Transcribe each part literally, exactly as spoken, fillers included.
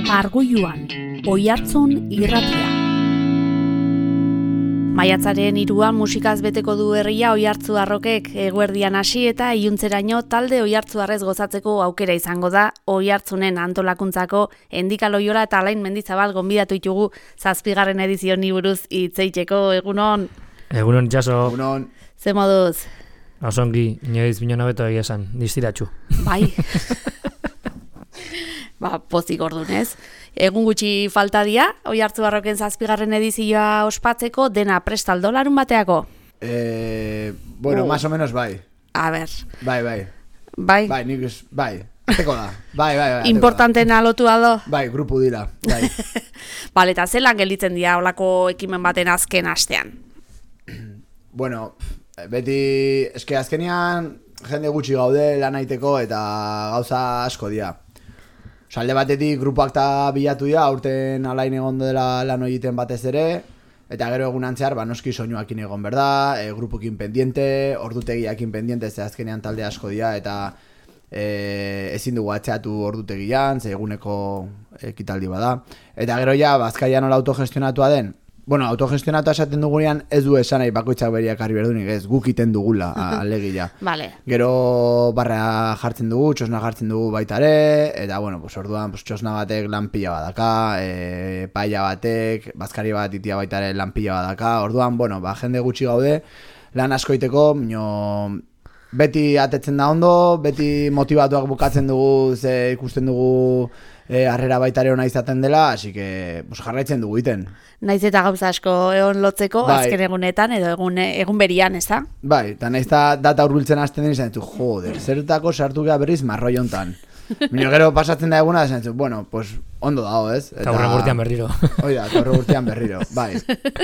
Argoiluan, Oihartzun irratia. Maiatzaren hiruan musikaz beteko du herria Oihartzunarrokek eguerdian hasi eta iluntzeraino talde oihartzuarrez gozatzeko aukera izango da. Oihartzunen antolakuntzako Endika Loiola eta Alain Mendizabal gonbidatu ditugu zazpigarren edizioni buruz hitz egiteko. Egunon. Egunon itxaso. Egunon. Ze moduz? Osongi, inoiz binona beto egia esan, distiratxu. Bai. Ba, pozik ordunez. Egun gutxi falta dia, Oihartzunarroken zazpigarren edizioa ospatzeko, dena prestaldo larun bateako? Eh, bueno, Uh. más o menos bai. A ber. Bai, bai. Bai. Bai, nik ez, bai. Ateko da. Bai, bai, bai. ateko da. Importantena lotua do? Bai, grupu dira. Bai. Bale, eta zelan gelditzen dira olako ekimen baten azken astean? Bueno, beti, eske azkenean jende gutxi gaude lan egiteko eta gauza asko dira. Osa, alde batetik grupoak eta bilatu dira, aurten Alain egon dela lan egiten batez ere, eta gero egun antzear, ba, noski soinuakin egon berda, e, grupukin pendiente, ordutegiakin pendiente, ze azkenean talde asko dira, eta e, ezin dugu atzeatu ordutegian, ze eguneko ekitaldi bada. Eta gero ja, Bazkaian nola autogestionatua den, bueno, autogestionatua esaten dugunean ez du esan nahi bakoitzak beriak harri berdunik, ez guk iten dugula, alegia. Vale. Gero barra jartzen dugu, txosna jartzen dugu baita ere, eta bueno, pues orduan pues, txosna batek lan pila badaka, e, paia batek, bazkari bat itia baita ere lan pila badaka, orduan, bueno, ba, jende gutxi gaude, lan askoiteko, mino, beti atetzen da ondo, beti motivatuak bukatzen dugu, ze ikusten dugu, E, harrera baitare ona izaten dela, así que pues, jarraitzen dugu iten. Naiz eta gauza asko egon lotzeko, bai. Azken egunetan edo egun, egun berian, ez da? Bai, eta naiz eta data hurbiltzen hasten den izan ditu, joder, zertako sartu gea berriz marroi hontan. Mino gero pasatzen da eguna, izan ditu, bueno, pues ondo dago, ez? Eta hurren urtean berriro. Oida, eta hurren urtean berriro, bai,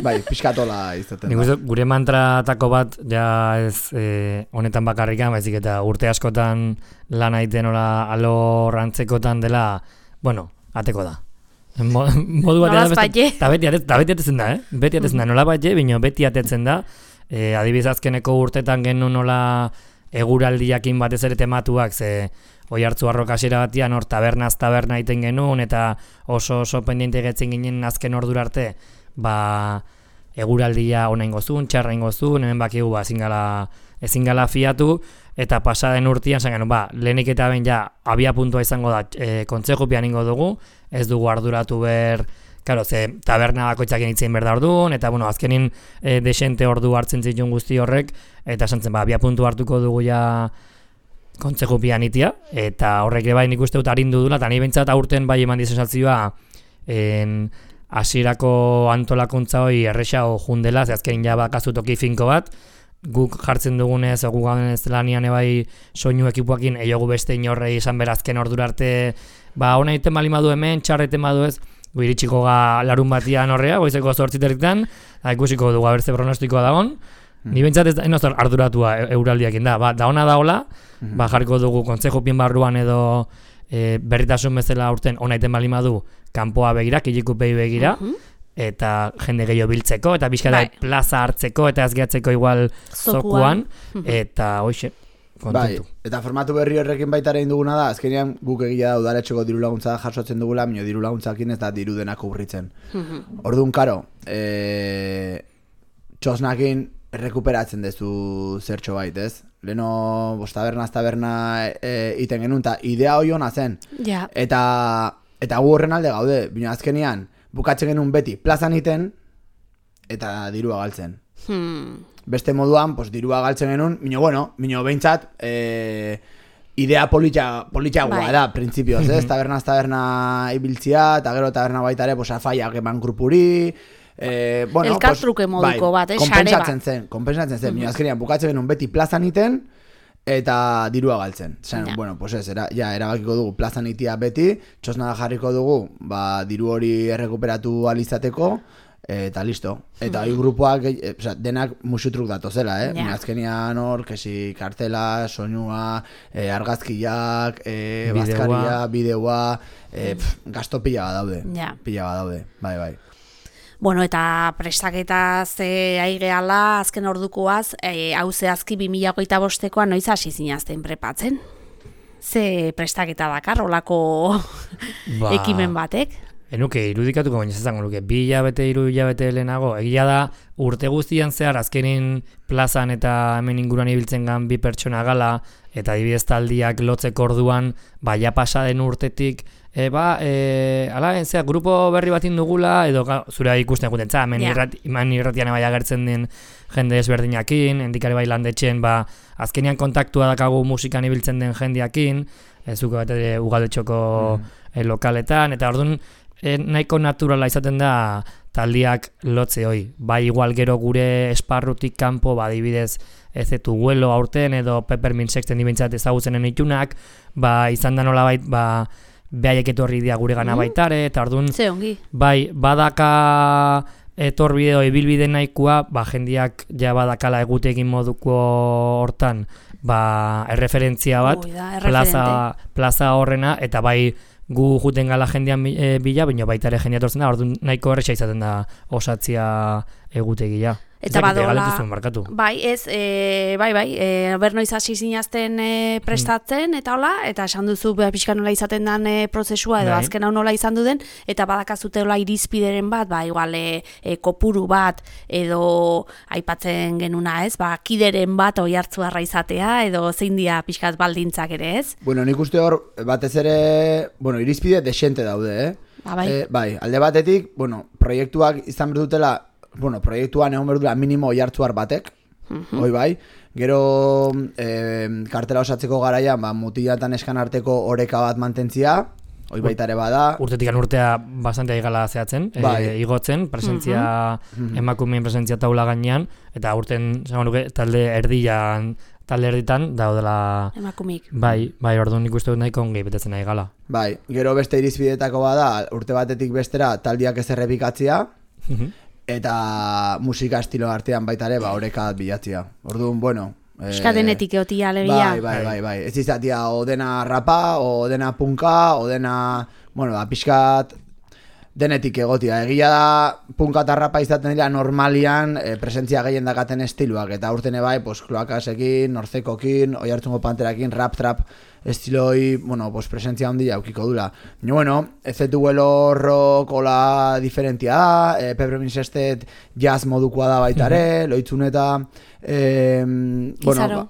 bai, pixkatola izaten da. Nik uste, gure mantratako bat, ja ez eh, honetan bakarrikan, baizik eta urte askotan lan aiten ola alorrantzekotan dela, bueno, ateko da. Mo, modu batean beste, eta beti, beti atetzen da, eh? Beti atetzen da, nola bat bino beti atetzen da. E, adibidez azkeneko urtetan genuen nola eguraldiakin batez ere tematuak, ze Oihartzunarrok hasiera batian hor tabernaz taberna egiten genuen, eta oso oso pendiente getzen ginen azken ordura arte, ba, eguraldia ona ingozun, txarra ingozun, hemen bakigu ba, ezin gala, ezin gala fiatu, eta pasaden urtean zen genuen, ba, lehenik eta ben ja abia puntua izango da e, kontzejupian ingo dugu, ez dugu arduratu ber, karo, ze taberna bakoitzak initzen berda orduan, eta bueno, azkenin e, desente ordu hartzen zituen guzti horrek, eta esan zen, ba, abia puntu hartuko dugu ja kontzejupian itia, eta horrek ere bai nik uste dut arindu dula, eta nahi bentsat aurten bai eman dizensazioa, en hasierako antolakuntza hori errexago jundela, ze azkenin ja bakazu toki finko bat, guk jartzen dugunez, egu gauden ez lanian ebai soinu ekipuakin, eiogu beste inorrei izan berazken ordura arte, ba, hona iten bali madu hemen, txarreten badu ez, gu iritsiko ga larun batian horrea, goizeko zortziterritan, da ikusiko dugu abertze pronostikoa dagon, mm. Ni bentsat ez da arduratua euraldiakin da, ba, da ona daola, mm. ba, jarriko dugu kontzejupien barruan edo e, berritasun bezala aurten hona iten bali madu, kanpoa begira, kilikupei begira, mm-hmm. eta jende gehiago biltzeko, eta bizkara bai. Plaza hartzeko, eta azgeatzeko igual zokuan, eta hoxe, kontentu. Bai, eta formatu berri horrekin baita egin duguna da, azkenean guk egia da udaletxeko diru laguntza jasotzen dugula, minio diru laguntzakin ez da diru denako urritzen. Orduan, karo, e, txosnakin rekuperatzen dezu zertxo bait, ez? Leno, bost tabernaz taberna e, iten genuen, eta idea hori hona zen. Ja. Eta, eta gu horren alde gaude, bino azkenean, bukatzen genuen beti plazan iten eta dirua galtzen. Hmm. Beste moduan, pues, dirua galtzen genuen, mino bueno, mino behintzat, e, idea politxa, politxagoa da, printzipioz, ez? Tabernaz taberna ibiltzia, eta gero taberna baita ere, pues, afaiak eman grupuri, e, bueno, elkartruke pues, moduko bai, bat, eh? Kompensatzen zen, kompensatzen zen, mino azkenean bukatzen genuen beti plazan iten, eta dirua galtzen. Zain, ja. Bueno, pues ez, era, ja, erabakiko dugu plazan itia beti, txosna jarriko dugu, ba, diru hori errekuperatu alizateko, eta listo. Eta hori grupoak, e, oza, denak musutruk datozela, eh? Ja. Azkenian hor, kesi kartela, soinua, e, argazkiak, e, bazkaria, bideoa, e, pf, gasto pila bat daude. Ja. Pila bat daude, bai, bai. Bueno, eta prestaketaz e, aigeala, azken ordukoaz, e, hau zehazki bi mila hogeita bostekoa noiz hasi zinazten prepatzen? Ze prestaketa dakar, olako ba, ekimen batek. Enuke, irudikatuko baina izango nuke, bi hilabete, hiru hilabete lehenago, egia da urte guztian zehar azkenin plazan eta hemen inguruan ibiltzen gan bi pertsona gala, eta adibidez taldiak lotzeko orduan, ba, ja pasa den urtetik, e, ba, e, ala, entzea, grupo berri bat indugula, edo ga, zure ikusten guten, za, hemen yeah. irrat, irratian bai agertzen den jende ezberdinakin, endikari bai landetxen, ba, azkenian kontaktua dakagu musikan ibiltzen den jendeakin, ez zuko bat ere ugaldetxoko mm. e, lokaletan, eta orduan, E, nahiko naturala izaten da taldiak lotze hoi. Bai igual gero gure esparrutik kanpo, ba, adibidez, ez etu guelo aurten edo Peppermint Sexten dibintzat ezagutzenen itunak, ba, izan da nola bait, ba, behaiek etorri dia gure gana mm. baitare, eta orduan, bai, badaka etorbideo ibilbide nahikoa, ba, jendiak ja badakala egutekin moduko hortan, ba, erreferentzia bat, Ui, da, plaza, plaza horrena, eta bai, gu juten gala jendean e, bila, baina baita ere jendea tortzen da, orduan nahiko erresa izaten da osatzia egutegia. Eta badola, bai, ez, e, bai, bai, e, bernoiz hasi zinazten e, prestatzen, mm. eta hola, eta esan duzu pixka nola izaten den e, prozesua, edo bai. Azken hau nola izan du den, eta badakazute hola irizpideren bat, ba, igual, e, e, kopuru bat, edo aipatzen genuna, ez, ba, kideren bat oi hartzuarra izatea, edo zein dia pixkat baldintzak ere, ez? Bueno, nik uste hor, batez ere, bueno, irizpide desente daude, eh? Ba, bai. E, bai, alde batetik, bueno, proiektuak izan berdutela, bueno, proiektuan egon berdula minimo oihartzuar batek, uh-huh. hoi bai, gero e, kartela osatzeko garaian, ba, mutilatan eskan arteko oreka bat mantentzia, hoi baita ere bada. Urtetikan urtea bastante aigala zehatzen, bai. e, igotzen, presentzia, uh-huh. emakumeen presentzia taula gainean, eta urten, zango nuke, talde erdian, talde erditan, daudela... Emakumik. Bai, bai, orduan nik uste dut nahiko ongi betetzen aigala. Bai, gero beste irizpidetako bada, urte batetik bestera taldiak ez errepikatzia, uh-huh. eta musika estilo artean baita ere, ba, oreka bilatzia. Orduan, bueno... Euskadenetik e, egotia alegia. Bai, bai, bai, bai. Ez izatea, o dena rapa, o dena punka, o dena... Bueno, ba, pixkat denetik egotia. Egia da, punka eta rapa izaten dira normalian e, presentzia gehien dakaten estiloak. Eta urtene bai, pues, kloakasekin, norzekokin, oi hartzungo panterakin, rap-trap estiloi, bueno, pues, presentzia handia aukiko dula. Ni, bueno, ez etuelo rock ola diferentia da, e, Peppermint Sextet jazz modukoa da baita ere, uh-huh. loitzuneta, e, bueno, ba,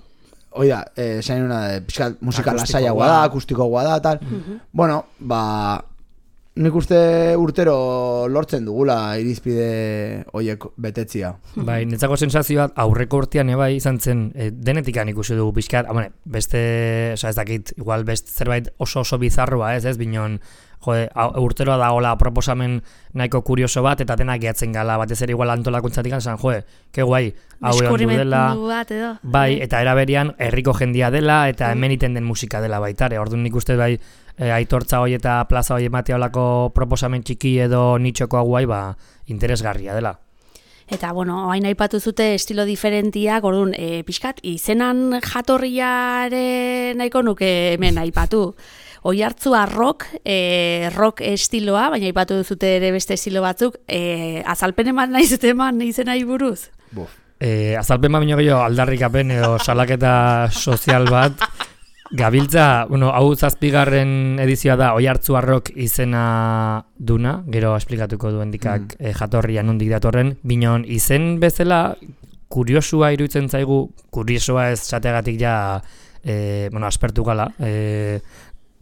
oida, e, zain una, pixkat musika lasaiagoa da, akustikoagoa da, tal. Uh-huh. Bueno, ba... Nik uste urtero lortzen dugula irizpide horiek betetzia. Bai, netzako sensazioa aurreko urtean ebai izan zen e, denetikan ikusi dugu pixkat, amane, beste, oza, ez dakit, igual beste zerbait oso oso bizarroa, ez, ez, binon, jode, urteroa da hola proposamen nahiko kurioso bat, eta denak gehatzen gala, batez ere igual antolakuntzatik esan, joe, ke guai, hau egon du dela, bai, eta eraberian herriko jendia dela, eta hemen iten den musika dela baitare, orduan nik uste bai, E, aitortza hoi eta plaza hoi ematea olako proposamen txiki edo nitxoko guai, ba, interesgarria dela. Eta, bueno, hain aipatu zute estilo diferentiak, orduan, e, pixkat, izenan jatorriare nahiko nuke hemen aipatu. Oihartzua rock, e, rock estiloa, baina aipatu zute ere beste estilo batzuk, e, azalpen eman nahi zute eman izenai buruz? Buf. E, azalpen ma bineo gehiago aldarrikapen edo salaketa sozial bat, gabiltza, bueno, hau zazpigarren edizioa da Oihartzua rock izena duna, gero esplikatuko duen dikak mm. e, jatorria nondik datorren, binon izen bezala kuriosua iruditzen zaigu, kuriosoa ez zateagatik ja, e, bueno, aspertu gala, e,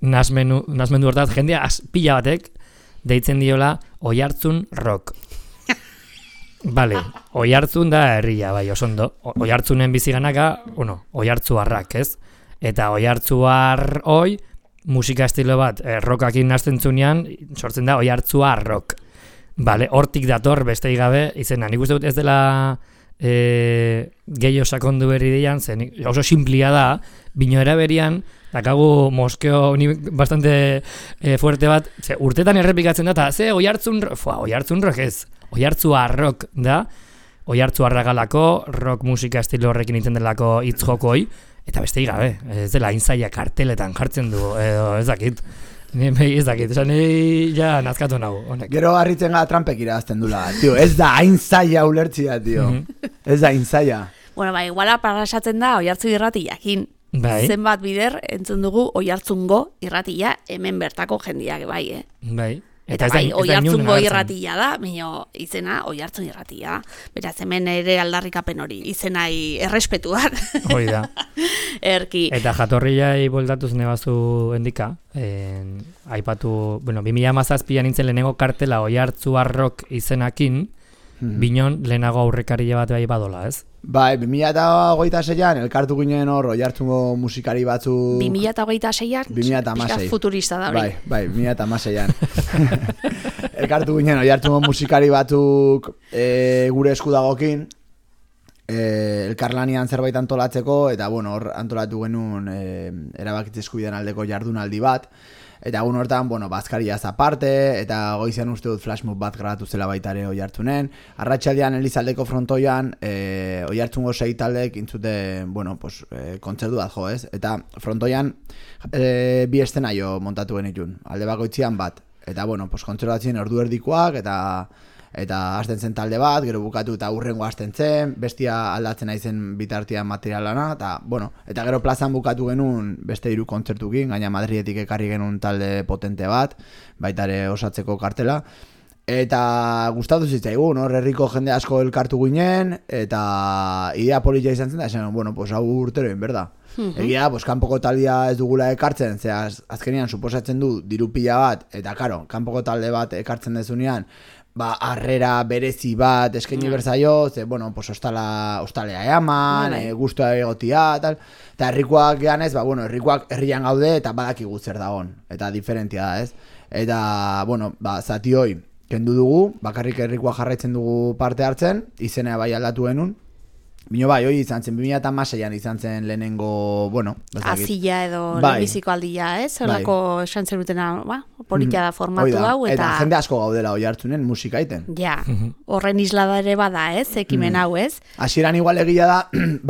nasmenu, nasmendu hortaz, jendea pila batek deitzen diola Oihartzun rock. Vale, Oihartzun da herria, bai, osondo. Oihartzunen biziganaka, bueno, Oihartzuarrak, ez? Eta Oihartzuar hoi, musika estilo bat, eh, rockakin nazten zunean, sortzen da Oihartzua rock. Vale, hortik dator beste gabe izena. Nik uste dut ez dela eh, gehiago sakondu berri dian, zen oso simplia da, bino eraberian, dakagu moskeo bastante eh, fuerte bat, ze, urtetan errepikatzen da, eta ze Oihartzun, fua, Oihartzun rock ez, Oihartzua rock da, Oihartzuarra galako, rock musika estilo horrekin iten delako hitz jokoi, eta beste gabe, ez dela intzaia karteletan jartzen du, edo ez dakit, ez dakit, esan nahi ja nazkatu nago, honek. Gero harritzen gara Trumpek irazten dula, tio, ez da aintzaia ulertzia, tio, ez da aintzaia. Bueno, ba, iguala parasatzen da, Oihartzu irrati jakin, Bai. zenbat bider entzun dugu Oiartzungo irratia hemen bertako jendiak bai, eh? Bai. Eta, eta bai, Oiartzungo irratia da, mino izena Oiartzun irratia. Beraz, hemen ere aldarrikapen hori, izenai errespetuan. Hoi da. Erki. Eta jatorriai boldatuz nebazu endika, en, aipatu, bueno, bi mila hamazazpian nintzen lehenengo kartela Oiartzuarrok izenakin, hmm. Binon lehenago aurrekaria bat bai badola, ez? Bai, bi mila hogeita seian elkartu ginen hor Oiartzungo musikari batzuk... bi mila hogeita seian? bi mila hamasei. Futurista da hori. Bai, bai, bi mila hamaseian. Elkartu ginen Oiartzungo musikari batzuk e, gure esku dagokin, e, elkarlanian zerbait antolatzeko, eta bueno, hor antolatu genuen e, erabakitze eskubidean aldeko jardunaldi bat, eta egun hortan, bueno, bazkariaz aparte, eta goizean uste dut flashmob bat grabatu zela baita ere Oiartzunen. Arratsaldean Elizaldeko frontoian, e, Oiartzungo sei taldek intzute, bueno, pues, e, kontzertu bat jo, ez? Eta frontoian e, bi eszenario montatu genitun, alde bakoitzian bat. Eta, bueno, pues, kontzertu batzien ordu erdikoak, eta eta hasten zen talde bat, gero bukatu eta urrengo hasten zen, bestia aldatzen aizen bitartian materialana, eta, bueno, eta gero plazan bukatu genuen beste hiru kontzertukin, gaina Madridetik ekarri genuen talde potente bat, baita ere osatzeko kartela, eta gustatu zitzaigun, hor herriko jende asko elkartu ginen, eta idea polita izan zen, da esan, bueno, pues hau urtero egin, berda. Egia, pues kanpoko taldea ez dugula ekartzen, ze az, azkenean suposatzen du diru pila bat, eta karo, kanpoko talde bat ekartzen dezunean, ba, harrera berezi bat eskaini mm. berzaio, ze, bueno, pues ostala, ostalea eaman, e, guztua egotia, tal, eta herrikoak gehan ez, ba, bueno, herrikoak herrian gaude, eta badakigu zer dagon, eta diferentia da, ez? Eta, bueno, ba, zati hoi, kendu dugu, bakarrik herrikoak jarraitzen dugu parte hartzen, izena bai aldatu genuen, bino bai, hoi izan zen, bi mila hamaseian izan zen lehenengo, bueno... Azila edo bai. Lehenbiziko aldia, ez? Horako bai. Esan zerutena, ba, politia da formatu hau, eta... Eta jende asko gaudela Oiartzunen musika iten. Ja, horren islada ere bada, ez? Ekimen hau, ez? Hasieran igual egia da,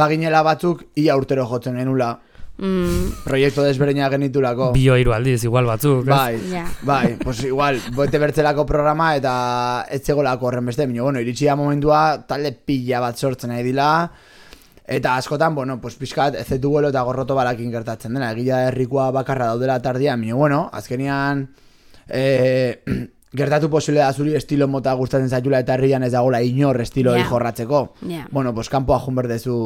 baginela batzuk, ia urtero jotzen genula, Mm. proiektu desberdina genitulako. Bio hiru aldiz, igual batzuk. Bai, yeah. bai, pues igual, boete bertzelako programa eta ez zegolako horren beste. Mino, bueno, iritsia momentua talde pila bat sortzen nahi dila. Eta askotan, bueno, pues pixkat ezetu guelo eta gorroto balakin gertatzen dena. Egila herrikoa bakarra daudela tardian. Mino, bueno, azkenian... Eh, gertatu posible da zuri estilo mota gustatzen zaitula eta herrian ez dagoela inor estilo yeah. jorratzeko. Yeah. Bueno, pues kanpoa jun berdezu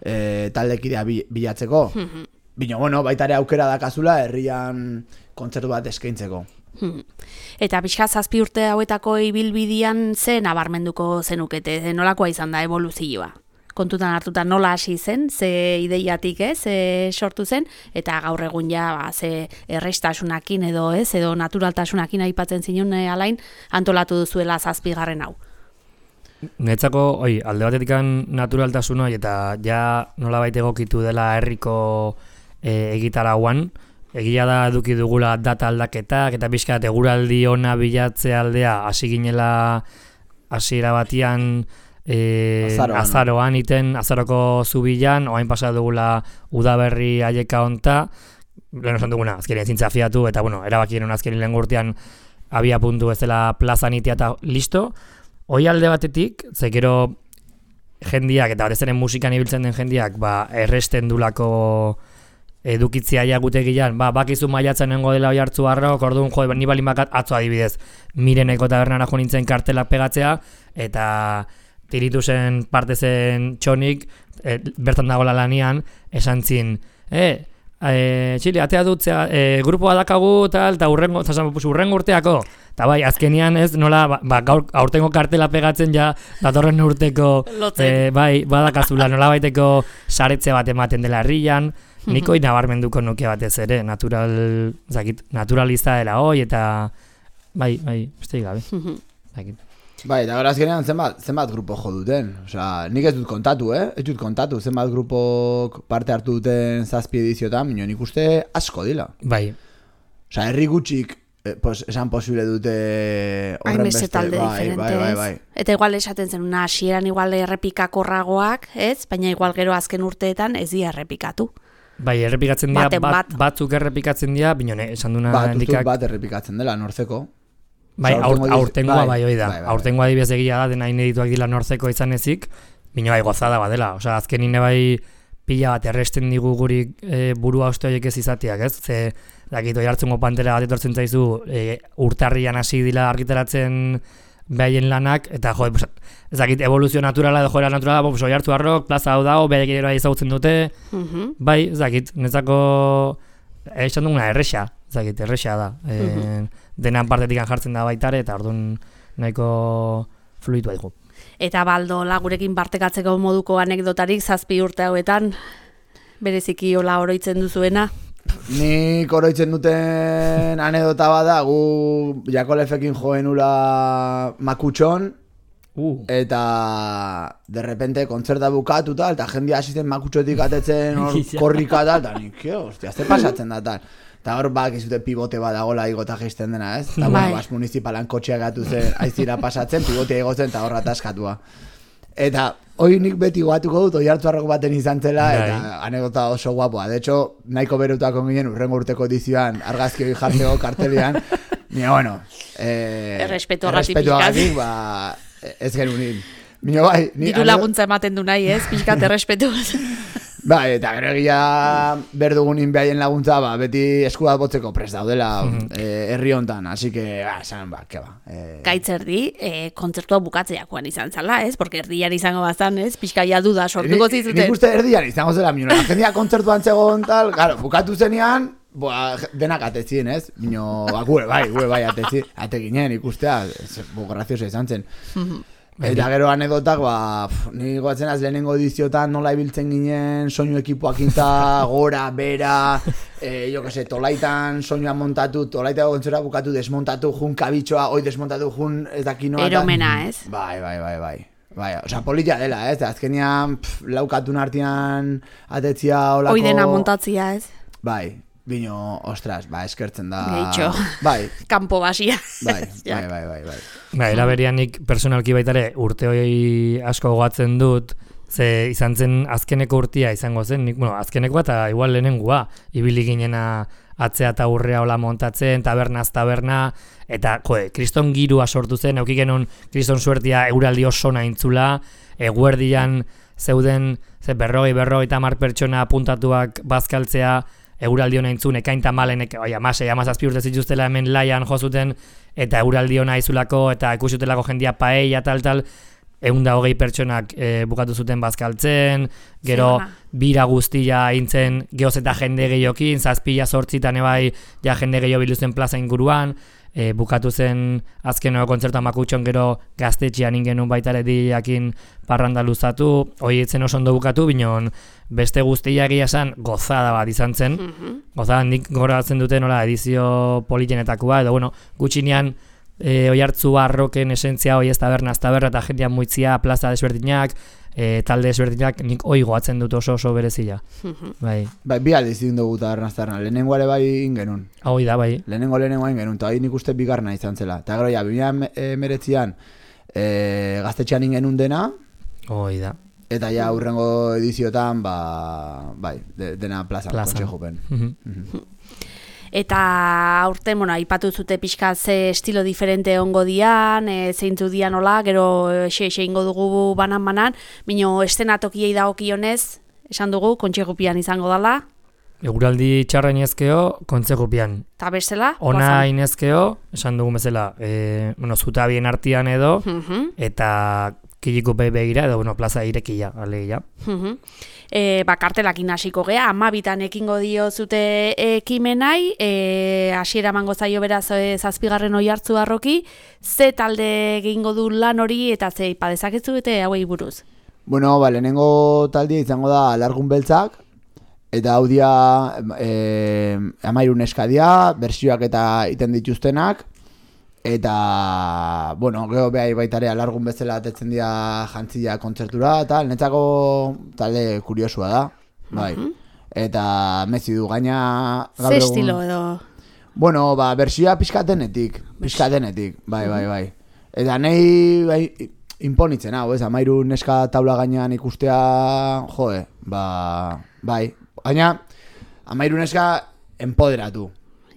eh, taldekidea bilatzeko. Mm-hmm. Bino, bueno, baita ere aukera dakazula herrian kontzertu bat eskaintzeko. Hmm. Eta pixka zazpi urte hauetako ibilbidian ze nabarmenduko zenukete, nolakoa izan da evoluzioa? Kontutan hartuta nola hasi zen, ze ideiatik ez, ze sortu zen, eta gaur egun ja ba, ze errestasunakin edo ez, edo naturaltasunakin aipatzen zinun alain antolatu duzuela zazpigarren hau. Netzako, oi, alde batetik naturaltasun hori eta ja nola baita egokitu dela herriko e, egitarauan, egia da eduki dugula data aldaketak, eta pixkat eguraldi ona bilatze aldea hasi ginela hasiera batian, E, azaroan, azaroan iten, azaroko zubilan, oain pasa dugula udaberri aieka onta, lehen esan duguna, azkenien zintza fiatu, eta bueno, erabakien azkenien lehen gurtean abia puntu ez dela plazan itea eta listo. Hoi alde batetik, zekero jendiak, eta batez ere musikan ibiltzen den jendiak, ba, erresten dulako edukitzia jagutegian, ba, bakizu maiatzen nengo dela Oiartzuarrok, orduan jo, ni balin bakat atzo adibidez, Mireneko tabernara jo nintzen kartelak pegatzea, eta tiritu zen parte zen txonik, e, bertan dagoela lanian, esan zin, e, e, Txili, atea dutzea, e, grupoa dakagu, tal, eta urrengo, urrengo urteako, eta bai, azkenian ez, nola, ba, ba, gaur, aurtengo kartela pegatzen ja, datorren urteko, e, bai, badakazula, nola baiteko saretze bat ematen dela herrian, niko nabarmenduko nuke batez ere, natural, zakit, naturalista dela hoi, eta, bai, bai, beste gabe, zakit. Bai, eta gara azkenean zenbat, zenbat grupo jo duten. Osea, nik ez dut kontatu, eh? Ez dut kontatu, zenbat grupok parte hartu duten zazpi ediziotan, minio nik uste asko dila. Bai. Osea, herri gutxik, eh, pues, esan posible dute horren beste. Talde bai, diferente, bai, bai, bai. Eta igual esaten zen, una hasieran igual errepikakorragoak, ez? Baina igual gero azken urteetan ez dira errepikatu. Bai, errepikatzen dira, bat, bat. batzuk errepikatzen dira, binone, esan duna bat, handikak... Bat errepikatzen dela, nortzeko. Bai, aur, aurtengoa bai, bai, bai, bai, bai. Aurtengoa adibidez egia da, dena inedituak dila nortzeko izan ezik, bino bai gozada badela. Osea, azkenine bai pila bat erresten digu guri e, burua uste horiek ez izateak, ez? Ze, dakit, Oiartzungo Pantera bat etortzen zaizu, e, urtarrian hasi dila argitaratzen behaien lanak, eta jo, pues, ez dakit, evoluzio naturala edo joera naturala, pues, Oiartzuarrok, plaza hau dago, behaik ere ezagutzen dute, uh-huh. bai, ez dakit, netzako, esan duguna, erresa, ez dakit, erresa da, e, uh-huh. denan partetik jartzen da baitare, eta orduan nahiko fluitu haigu. Eta baldo, lagurekin partekatzeko moduko anekdotarik zazpi urte hauetan, bereziki hola oroitzen duzuena? Nik oroitzen duten anekdota bada, gu Jakolefekin joen ula Makutxon, uh. eta derrepente kontzerta bukatu tal, eta jendia asisten Makutxotik atetzen hor korrika tal, eta nik, hostia, ze pasatzen da tal. Eta hor bak izute pibote badagola igota geisten dena, ez? Eta bueno, bas municipalan kotxeak gatu zen aizira pasatzen, pibotea igotzen eta horra ataskatua. Eta hori nik beti goatuko dut, Oiartzuarrok baten izan zela, eta anekdota oso guapoa. De hecho, nahiko berutako ginen urrengo urteko edizioan argazki hori jartzeko kartelian, nire, bueno, eh, errespetu agatik, ba, ez genunin. Mino bai, diru laguntza ematen du nahi, ez? Pixkat errespetu. Bai, eta gero egia berdugunin behaien laguntza, ba, beti esku bat botzeko prest daudela mm-hmm. eh, herri hontan, así que, ba, esan, ba, ke ba. Eh... Gaitz-erdi, eh, kontzertua bukatzeakoan izan zala, ez? Porque erdian izango bazan, ez? Pixkaia duda sortuko zizuten. Nik uste erdian izango zela, minuna, jendia kontzertuan zegoen tal, claro, bukatu zenean, boa, denak atetzien, ez? Mino, ba, gure bai, gure bai atetzien, ate ginen ikustea, bo, graziosa izan zen. Mm-hmm. Eta gero anedotak, ba, pff, ni goatzen az lehenengo ediziotan nola ibiltzen ginen soinu ekipoak inta, gora, bera, e, jo que se, tolaitan soinua montatu, tolaitako kontzera bukatu, desmontatu, jun kabitxoa, oi desmontatu, jun ez dakinoa. Eromena, ez? Bai, bai, bai, bai. Bai, osea, polita dela, ez? Azkenean, pff, laukatun artean atetzia olako... Oi dena montatzia, ez? Bai. Bino, ostras, ba, eskertzen da... Geitxo, bai. Kampo basia. Bai, bai, bai, bai, bai. Ba, eraberian nik personalki baitare urte hori asko gogatzen dut, ze izan zen azkeneko urtia izango zen, nik, bueno, azkeneko eta igual lehenengua, ibili ginena atzea eta urrea hola montatzen, tabernaz taberna, eta, joe, kriston girua sortu zen, eukik genuen kriston suertia euraldi oso naintzula, eguerdian zeuden, ze berrogei, berrogei tamar pertsona puntatuak bazkaltzea, euraldi hona intzun, ekain tamalenek, oia, masei, amazazpi urte zituztela hemen laian jozuten, eta euraldi hona izulako, eta ikusutelako jendia paella, tal, tal, egun da hogei pertsonak e, bukatu zuten bazkaltzen, gero bira guztia intzen geoz eta jende gehiokin, zazpila sortzitan ebai, ja jende gehiago biluzen plaza inguruan, e, bukatu zen azkeneko kontzertua Makutxon gero gaztetxean ingenun baitare diakin parranda luzatu, hori etzen oso ondo bukatu, binon beste guztia egia esan gozada bat izan zen, mm-hmm. gozada nik goratzen duten nola edizio politenetakoa, edo bueno, gutxinean e, Oiartzuarroken esentzia hoi ez tabernaz taberna eta jendean muitzia, plaza desberdinak, e, talde desberdinak, nik hoi goatzen dut oso oso berezila. Mm-hmm. Bai. Bai, bi aldiz egin dugu tabernaz taberna, lehenengo ere bai ingenun. Hoi da, bai. Lehenengo lehenengo ingenun, eta hoi nik uste bigarna izan zela. Eta gero, ja, bi mila hemeretzian e, gaztetxean ingenun dena. Hoi da. Eta ja hurrengo ediziotan, ba, bai, de, dena plazan, kotxe jopen. Mm-hmm. Mm-hmm. Eta aurten, bueno, aipatu zute pixka ze estilo diferente ongo dian, e, zeintzu dian hola, gero xe-xe ingo dugu banan-banan, bino estenatokiei dagokionez, esan dugu, kontxegupian izango dala. Eguraldi txarra inezkeo, kontxegupian. Eta bestela? Ona inezkeo, esan dugu bezala, e, bueno, zutabien artian edo, mm-hmm. eta kiliko begira, edo, bueno, plaza irekia, alegia. Mm-hmm. E, ba, kartelakin hasiko gea, amabitan ekingo dio zute ekimenai, e, hasiera emango zaio beraz e, zazpigarren Oiartzuarroki, ze talde egingo du lan hori eta ze ipa dezakezu eta hauei buruz? Bueno, ba, lehenengo taldia izango da Alargun Beltzak, eta hau dia e, amairun eskadia, bersioak eta iten dituztenak, eta, bueno, geho behai baitare Alargun bezala atetzen dira jantzia kontzertura, eta netzako talde kuriosua da, bai. Uh-huh. Eta mezi du gaina... Ze estilo edo? Bueno, ba, bersioa pixkatenetik, pixkatenetik, bai, bai, bai. Eta nahi, bai, imponitzen hau, ez, amairu neska taula gainean ikustea, joe, ba, bai. Gaina, amairu neska empoderatu.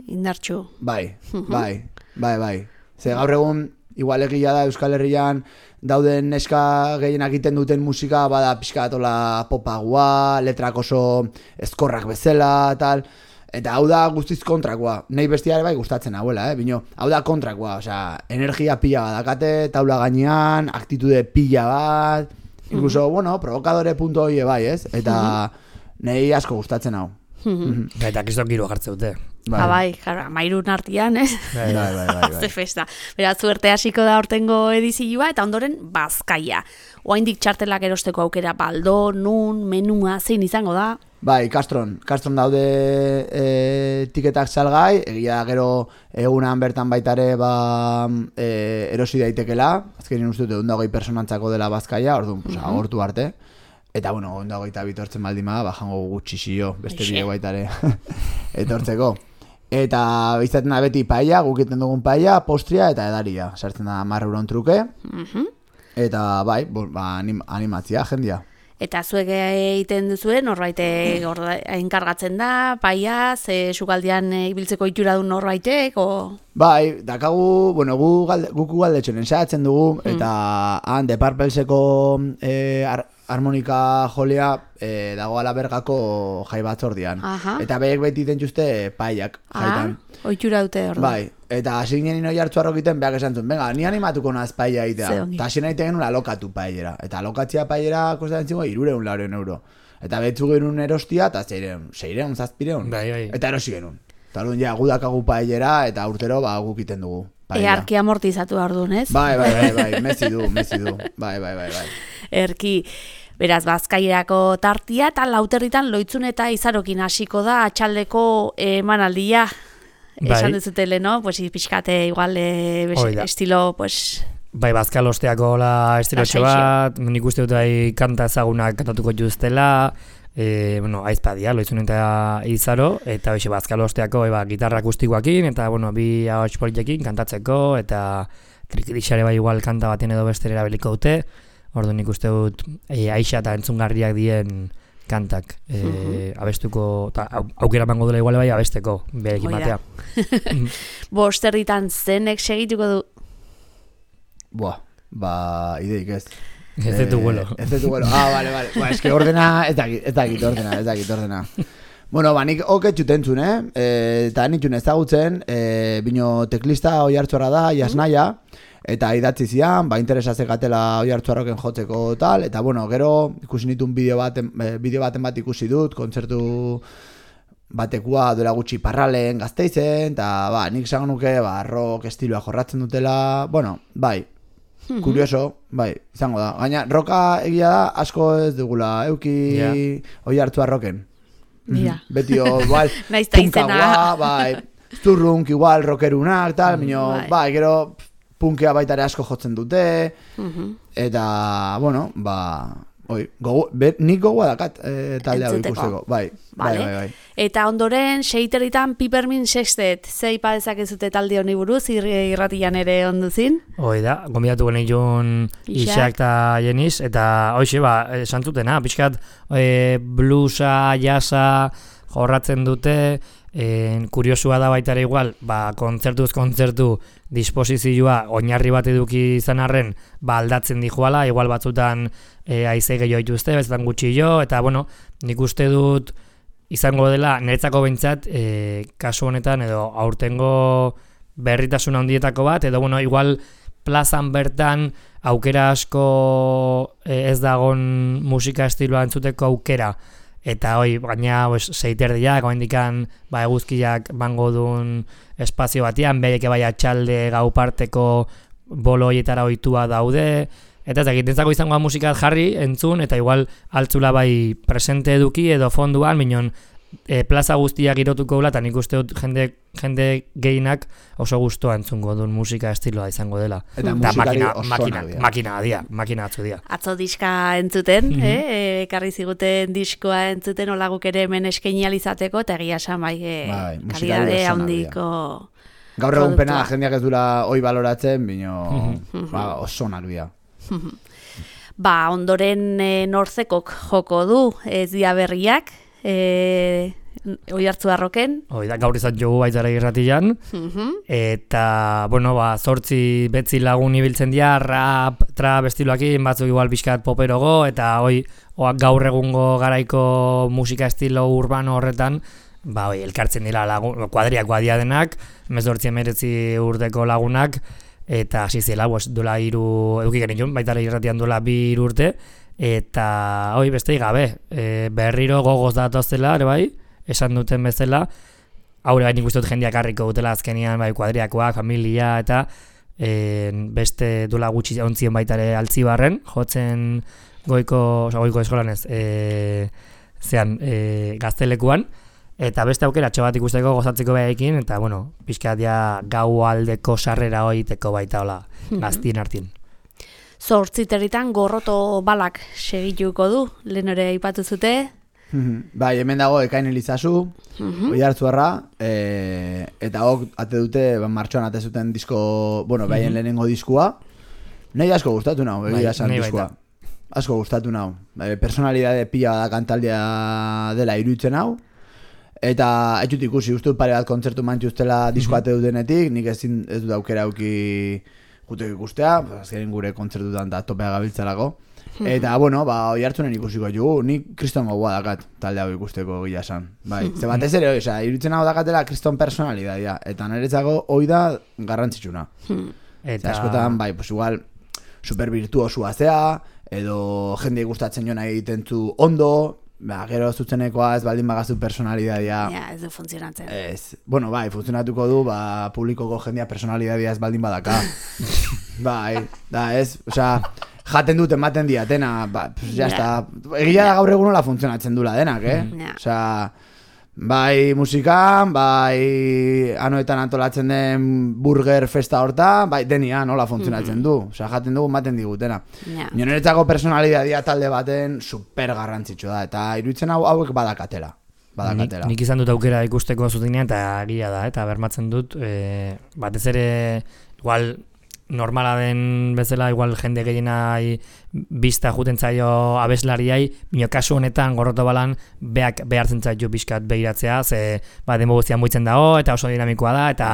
Indartxu. Bai, bai, bai, bai. Ze gaur egun igual egia da Euskal Herrian dauden neska gehienak egiten duten musika bada pixka atola popagua, letrak oso ezkorrak bezala, tal. Eta hau da guztiz kontrakoa. Nei bestiare bai gustatzen hauela, eh? Bino, hau da kontrakoa, osea, energia pila badakate, taula gainean, aktitude pila bat, incluso, mm-hmm. bueno, provokadore punto hoi bai, ez? Eta mm-hmm. nei asko gustatzen hau. Mm-hmm. Eta kistok giro jartze dute. Bai, ha, bai, jara, mairun artian, ez? Bai, bai, bai, bai, bai. Ze festa. Beraz, zuerte hasiko da hortengo edizioa, eta ondoren Bazkaia. Oaindik txartelak erosteko aukera baldo, nun, menua, zein izango da? Bai, Castron. Castron daude e, tiketak salgai, egia gero egunan bertan baitare ba, e, erosi daitekela, azkenin uste dut, ondagoi personantzako dela Bazkaia, orduan, pues, mm-hmm. agortu arte. Eta, bueno, ondagoi eta bitortzen baldima, ba, jango gutxixio, beste bide baitare etortzeko. Eta bizaten da beti paella, gukiten dugun paella, postria eta edaria. Sartzen da hamar euron truke. Mm-hmm. Eta bai, ba, anim, animatzia, jendia. Eta zuek egiten duzuen, norbait enkargatzen da, paella, ze sukaldian ibiltzeko itura du norbaitek, o... Bai, dakagu, bueno, gu galde, guku galdetxonen ensatzen dugu, mm. eta han, de Parpelseko eh, ar, harmonika jolea eh, dago alabergako jai batzordian. Aha. Eta behek beti dituzte paiak jaitan. Ah, oitura dute hor. Bai, eta hasi ginen ino jartzu arrokiten behak esan zuen, venga, ni animatuko naz paia egitea. Eta hasi nahi tegen alokatu paiera. Eta alokatzia paiera kostatzen zingo irureun laureun euro. Eta betzu genuen erostia, eta zeireun, zeireun, zazpireun. Bai, bai. Eta erosi genuen. Eta orduan ja, gudakagu paiera, eta urtero ba, gukiten dugu. Earki amortizatu behar duen, ez? Bai, bai, bai, bai, mezi du, mezi du. Bai, bai, bai, bai. Erki, beraz, Bazkairako tartia, eta lauterritan loitzun eta izarokin hasiko da atxaldeko emanaldia. Bai. Esan duzutele, no? Pues pixkate igual eh, estilo, pues... Bai, Bazkalosteako la estilotxo bat, nik uste dut ai kanta ezagunak kantatuko juztela, e, bueno, aizpadia, loitzun eta izaro, eta hoxe Bazkalosteako eba, gitarra akustikoakin, eta bueno, bi ahots politekin kantatzeko, eta trikirixare bai igual kanta baten edo bestera erabiliko dute, ordu nik uste dut e, aixa eta entzungarriak dien kantak e, uh-huh. abestuko, ta, aukera mango dela igual bai abesteko, berekin batea. Bosterritan zenek segituko du? Buah, ba, ideik ez. Ez detu guelo. Ez detu guelo. Ah, vale, vale. Ba, eske ordena, ez dakit, ez dakit ordena, ez dakit ordena. Bueno, ba, nik oket txutentzun, eh? E, eta nitxun ezagutzen, e, bino teklista oi hartzora da, jasnaia, eta idatzi zian, ba, interesa zekatela oi hartzuarroken jotzeko tal, eta bueno, gero ikusi nitun bideo baten, bideo baten bat ikusi dut, kontzertu batekua duela gutxi Parralen Gasteizen, eta ba, nik esango nuke, ba, rock estiloa jorratzen dutela, bueno, bai, mm-hmm. kurioso, bai, izango da. Gaina, roka egia da, asko ez dugula, euki yeah. oi hartzuarroken. Mira. Beti, igual, punkagua, bai, zurrunk, igual, rockerunak, tal, minio, bai, bai gero, punkea baitare asko jotzen dute, uh-huh. eta, bueno, ba, oi, gogu, be, nik gogua dakat e, taldea ikusteko, bai, vale. bai, bai, bai. Eta ondoren, seiterritan Pipermin Sextet, zei padezak ez dute talde honi buruz, irratian ere onduzin? Hoi da, gombidatu genitun Ixak eta Jeniz, eta hoxe, ba, esan zutena, pixkat, e, bluesa, jasa, jorratzen dute, En, kuriosua da baita ere igual, ba, kontzertuz kontzertu disposizioa oinarri bat eduki izan arren, ba, aldatzen dijoala, igual batzutan e, aize gehiago dituzte, bezetan gutxi jo, eta bueno, nik uste dut izango dela, niretzako behintzat, e, kasu honetan, edo aurtengo berritasun handietako bat, edo bueno, igual plazan bertan aukera asko e, ez dagon musika estiloa entzuteko aukera, eta hoi, gaina seiterdiak, oendikan ba, eguzkiak bango duen espazio batean, bereke bai atxalde gau parteko bolo hoietara ohitua daude, eta ez dakit, entzako izangoa musikat jarri, entzun, eta igual altzula bai presente eduki edo fonduan, minon e, plaza guztiak girotuko gula, eta nik uste dut jende, jende gehienak oso gustoa entzungo duen musika estiloa izango dela. Eta musikari oso makina, makina dia, makina atzu dia. Atzo diska entzuten, mm-hmm. eh? ekarri ziguten diskoa entzuten olaguk ere hemen eskainializateko, eta egia esan bai, eh, bai kalidade handiko... Gaur egun pena jendeak ez dura hoi baloratzen, bino mm-hmm. ba, oso onak dira. Ba, ondoren e, Nortzekok joko du ez dia berriak, e, Oiartzuarroken. Hoi da, gaur izan jogu baitzara irratian. Mhm. Eta, bueno, ba, zortzi betzi lagun ibiltzen dira, rap, trap estiloakin, batzuk igual pixkat poperogo, eta hoi, oak gaur egungo garaiko musika estilo urbano horretan, ba, hoi, elkartzen dira lagun, kuadriak badia denak, mezortzi emeretzi urteko lagunak, eta hasi zela, pues, duela hiru, eduki genitun, baitara irratian duela bi hiru urte, eta hoi, beste gabe, e, berriro gogoz datozela, ere bai, esan duten bezala, haure bai nik uste dut jendeak harriko dutela azkenian, bai, kuadriakoak, familia, eta e, beste duela gutxi ontzien baitare Altzibarren, jotzen goiko, oza, goiko eskolan ez, e, zean, e, gaztelekuan, eta beste aukera txo bat ikusteko gozatzeko behaekin, eta, bueno, pixkat ja gau aldeko sarrera hoiteko baita hola, gaztien hartin. Zortziterritan gorroto balak segituko du, lehen ere aipatu zute. Bai, hemen dago Ekain Elizazu, Mhm. Oiartzuarra, e, eta hok ate dute, ba, martxoan ate zuten disko, bueno, behaien lehenengo diskua. Nahi asko gustatu nau, egia esan nahi diskoa. baita. Asko gustatu nau. Bai, personalidade pila da kantaldea dela iruditzen hau. Eta ez dut ikusi, uste dut pare bat kontzertu mantxu ustela diskoa ate dutenetik, nik ezin ez dut aukera auki jutek ikustea, azkenin gure kontzertutan da topea gabiltzalako. Eta, bueno, ba, Oiartzunen ikusiko jugu, nik kriston gogoa dakat talde hau ikusteko gila esan. Bai, ze batez ere, oza, iruditzen hau dakatela kriston personalidadia, eta niretzako hoi da garrantzitsuna. Eta askotan, bai, pues igual, super virtuosua zea, edo jende gustatzen jona egiten zu ondo, ba, gero zutzenekoa ez baldin bagazu personalidadia. Ja, ez du funtzionatzen. Ez, bueno, bai, funtzionatuko du, ba, publikoko jendea personalidadia ez baldin badaka. Bai, da, ez, osea, jaten dut ematen diatena, ba, pues, ya está. Egia da gaur egun nola funtzionatzen dula denak, eh? Ja. Osea, bai musikan, bai anoetan antolatzen den burger festa horta, bai denia nola funtzionatzen du. Osea, jaten dugu ematen digutena. Ja. Niretzako personalidadia talde baten super garrantzitsua da, eta iruditzen hau hauek badakatela. Badakatela. Nik, nik izan dut aukera ikusteko zutenean, eta egia da, eta bermatzen dut, e, batez ere, igual, normala den bezala, igual jende gehienai bista juten zaio abeslariai, bino kasu honetan gorroto balan beak behartzen zaio bizkat behiratzea, ze ba, demo guztian muitzen dago, eta oso dinamikoa da, eta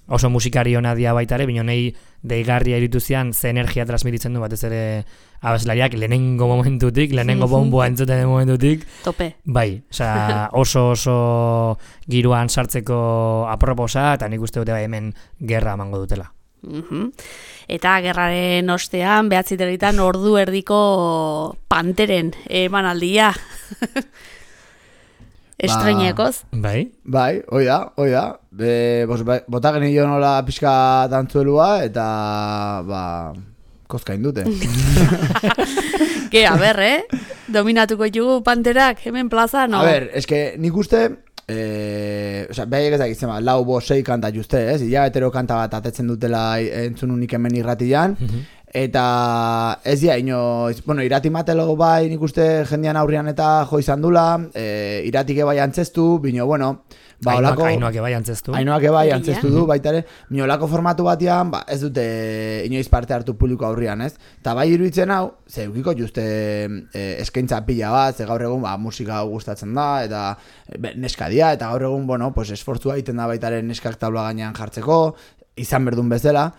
oso musikari hona dia baitare, bino nahi deigarria irituzian ze energia transmititzen du batez ere abeslariak lehenengo momentutik, lehenengo bomboa entzuten den momentutik. Tope. Bai, osea, oso oso giroan sartzeko aproposa, eta nik uste dute bai hemen gerra emango dutela. Mhm. Eta gerraren ostean, behatziterritan ordu erdiko panteren emanaldia. Estreinekoz. Bai? Bai, hoi da, hoi da. Be, bos, bota genio nola pixka dantzuelua, eta, ba, kozkain dute. Ke, a ber, eh? Dominatuko jugu panterak, hemen plaza, no? A ber, eske nik uste, eh, o sea, behaiek ez dakitzen ba, lau, bo, sei kanta juste, ez? Ia hetero kanta bat atetzen dutela entzun unik hemen irratian, eta ez dia, inoiz, bueno, irati matelo bai nik uste jendean aurrian eta jo izan dula, e, iratike bai antzestu, bino, bueno, ba, olako... Ainoak ebai antzestu. Ainoak ebai antzestu du, baita ere, bino, olako formatu batean, ba, ez dute inoiz parte hartu publiko aurrian, ez? Eta bai iruditzen hau, ze eukiko juste e, eskaintza pila bat, ze gaur egun, ba, musika gustatzen da, eta be, neskadia, eta gaur egun, bueno, pues, esfortzua egiten da baita ere neskak tabla gainean jartzeko, izan berdun bezala.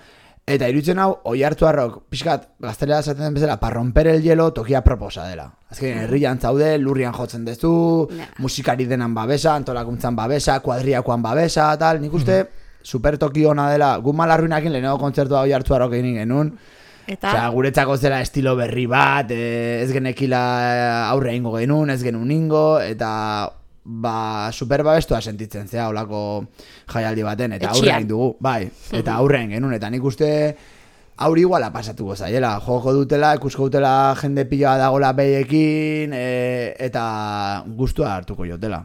Eta iruditzen hau, Oiartzuarrok, pixkat, gaztelera esaten den bezala, para romper el hielo tokia proposa dela. Azken, herrian zaude, lurrian jotzen dezu, Nah. musikari denan babesa, antolakuntzan babesa, kuadriakoan babesa, tal, nik uste, super toki ona dela, gu malarruinakin lehenengo kontzertua Oiartzuarrok egin genuen, Eta, osea, guretzako zela estilo berri bat, e, ez genekila aurre ingo genuen, ez genuen ingo, eta ba, super babestua sentitzen zea olako jaialdi baten, eta aurre Etxean. egin dugu, bai, eta aurre egin genuen, eta nik uste aurri iguala pasatuko zaiela, joko dutela, ikusko dutela jende pila dagola behiekin, e, eta gustua hartuko jotela.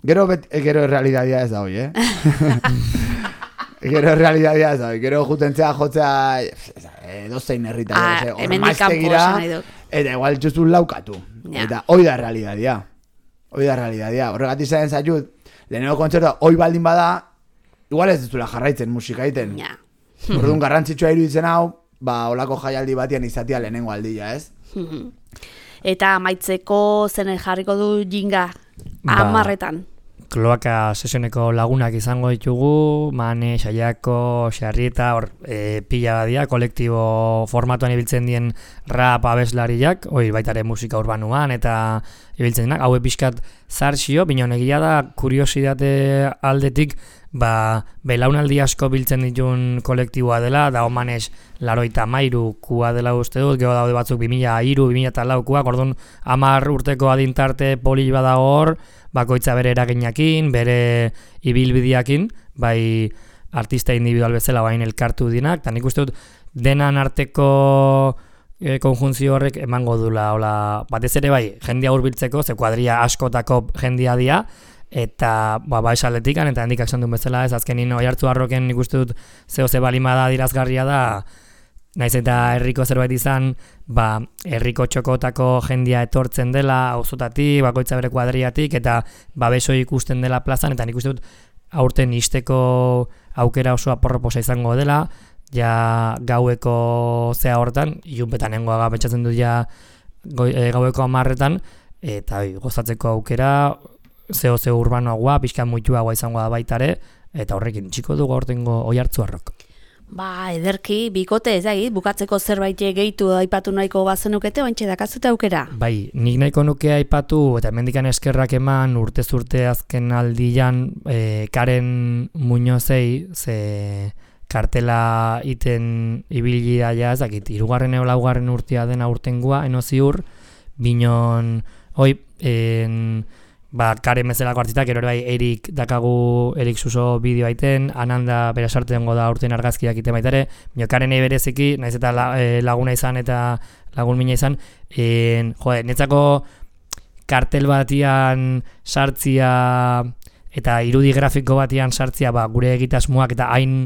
Gero, bet, e, gero realidadia ez da hoi, eh? Gero realidadia ez da hoi, gero jutentzea jotzea edozein herrita, Ah, hor hemendik kanpo maiztegira, esan nahi dut. eta igual txustu laukatu, Ja. eta hoi da realidadia. Hoi da realidadia. Horregatik zain zaitut, lehenengo kontzertua hoi baldin bada, igual ez duzula jarraitzen musika egiten. ja. Orduan garrantzitsua iruditzen hau, ba, olako jaialdi batian izatea lehenengo aldia, ez? Eta amaitzeko zene jarriko du jinga Ba, hamarretan. Kloaka sesioneko lagunak izango ditugu, Mane, Saiako, Xarrieta, hor e, pila badia, kolektibo formatuan ibiltzen dien rap abeslariak, hoi baitare musika urbanuan eta ibiltzen dienak, haue pixkat zarxio, binon egia da, kuriosidate aldetik, ba, belaunaldi asko biltzen ditun kolektiboa dela, da omanez laroita mairu kua dela uste dut, geho daude batzuk bi mila hiru, bi mila lau kuak, orduan hamar urteko adintarte poli badago hor, bakoitza bere eraginakin, bere ibilbideakin, bai artista individual bezala bain elkartu dinak, eta nik uste dut denan arteko e, konjunzio horrek emango dula, hola, batez ere bai, jendia hurbiltzeko, ze kuadria askotako jendia dia, eta ba, ba esaletikan, eta handik aksan duen bezala, ez azkenin Oiartzu Arroken nik uste dut zeo ze balimada dirazgarria da, naiz eta herriko zerbait izan, ba, herriko txokotako jendia etortzen dela, auzotatik, bakoitza bere kuadriatik, eta babeso ikusten dela plazan, eta nik uste dut aurten isteko aukera oso aporroposa izango dela, ja gaueko zea hortan, ilunpetan nengoaga pentsatzen dut ja goi, e, gaueko hamarretan, eta oi, gozatzeko aukera, zeo zeo urbanoagoa, pixka muituagoa izango da baitare, eta horrekin txiko dugu aurtengo Oiartzu Arrok. Ba, ederki, bikote ez egit, bukatzeko zerbait gehitu aipatu nahiko bazenukete, ointxe dakazute aukera? Bai, nik nahiko nuke aipatu, eta hemendikan eskerrak eman urtez urte azken aldian e, Karen Muñozei, ze kartela iten ibili daia, ez dakit, irugarren eo laugarren urtea dena urtengua, eno ziur, binon, oi, en... Ba, Karen bezalako artistak, ero bai Erik dakagu, Erik Suso bideo aiten, Ananda bera sarte dengo da urten argazkiak ite baitare, bio Karen egin bereziki, naiz eta la, e, laguna izan eta lagun mina izan, en, jode, netzako kartel batian sartzia eta irudi grafiko batian sartzia, ba, gure egitasmoak eta hain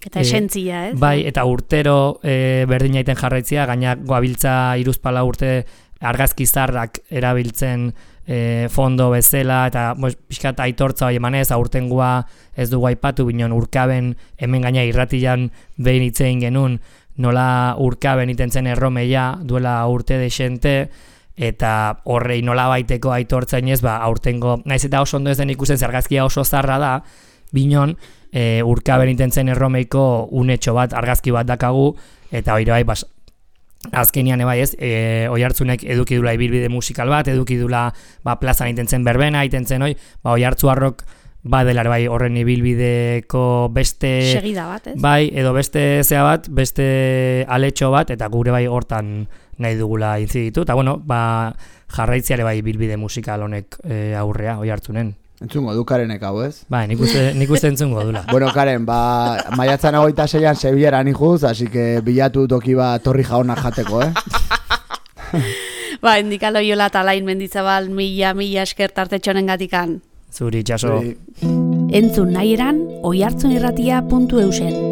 Eta esentzia, ez? Bai, eta urtero e, berdin aiten jarraitzia, gaina goabiltza iruzpala urte argazki zarrak erabiltzen e, fondo bezala, eta pixkat aitortza hori emanez, aurtengua ez dugu aipatu, binon urkaben hemen gaina irratian behin itzein genuen, nola urkaben iten zen erromeia duela urte desente, eta horrei nola baiteko aitortzain ez, ba, aurtengo, naiz eta oso ondo ez den ikusten argazkia oso zarra da, binon, e, urkaben iten zen erromeiko unetxo bat, argazki bat dakagu, eta hori bai, bas, azkenian ebai ez, e, Oiartzunek eduki dula ibilbide musikal bat, eduki dula ba, plazan itentzen berbena, itentzen hoi, ba, Oiartzu Arrok badelar bai horren ibilbideko beste... Segida bat, ez? Bai, edo beste zea bat, beste aletxo bat, eta gure bai hortan nahi dugula intziditu, eta bueno, ba, jarraitziare bai ibilbide musikal honek e, aurrea Oiartzunen. Entzungo du Karenek hau, ez? Bai, nik uste, nik uste entzungo dula. Bueno, Karen, ba, maiatzan hogeita seian Sevillara nijuz, así que bilatu toki ba torri jauna jateko, eh? Ba, Indika Loiola eta Alain Mendizabal mila, mila esker tartetxonen gatikan. Zuri, txaso. Entzun nahi eran, oiartzunirratia puntu eusen.